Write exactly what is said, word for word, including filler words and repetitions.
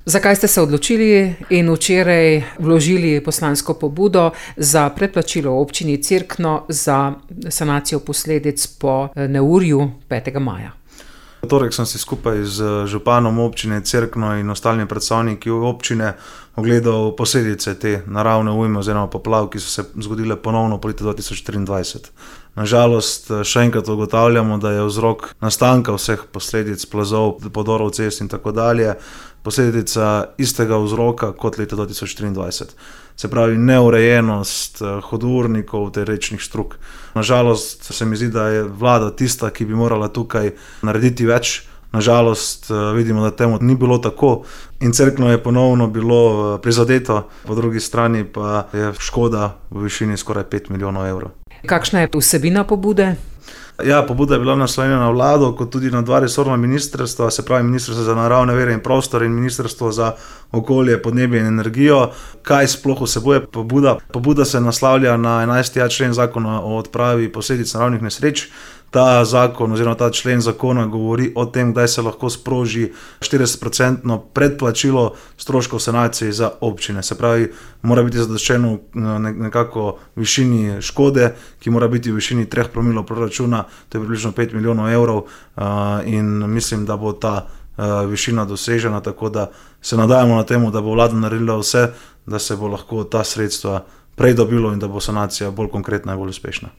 Zakaj ste se odločili in včeraj vložili poslansko pobudo za predplačilo občini Cerkno za sanacijo posledic po neurju petega maja? V torek sem si skupaj z županom občine Cerkno in ostalimi predstavniki občine ogledal posledice te naravne ujme oziroma poplav, ki so se zgodile ponovno po letu dva tisoč triindvajset. Na žalost še enkrat ugotavljamo, da je vzrok nastanka vseh posledic plazov, podorov cest in tako dalje posledica istega vzroka kot leta dva tisoč triindvajset. Se pravi neurejenost hudournikov ter rečnih strug. Na žalost se mi zdi, da je vlada tista, ki bi morala tukaj narediti več. Na žalost vidimo, da temu ni bilo tako in Cerkno je ponovno bilo prizadeto, po drugi strani pa je škoda v višini skoraj pet milijonov evrov. Kakšna je vsebina pobude? Ja, pobuda je bila naslovljena na vlado, kot tudi na dva resorna ministrstva, se pravi Ministrstvo za naravne vire in prostor in Ministrstvo za okolje, podnebje in energijo. Kaj sploh vsebuje pobuda? Pobuda se naslavlja na enajsti a člen Zakona o odpravi posledic naravnih nesreč. Ta zakon oziroma ta člen zakona govori o tem, kdaj se lahko sproži štiridesetprocentno predplačilo stroškov sanacije za občine. Se pravi, mora biti zadoščeno nekako v višini škode, ki mora biti v višini treh promilov proračuna, to je približno pet milijonov evrov in mislim, da bo ta višina dosežena, tako da se nadajamo na temu, da bo vlada naredila vse, da se bo lahko ta sredstva prej dobilo in da bo sanacija bolj konkretna in bolj uspešna.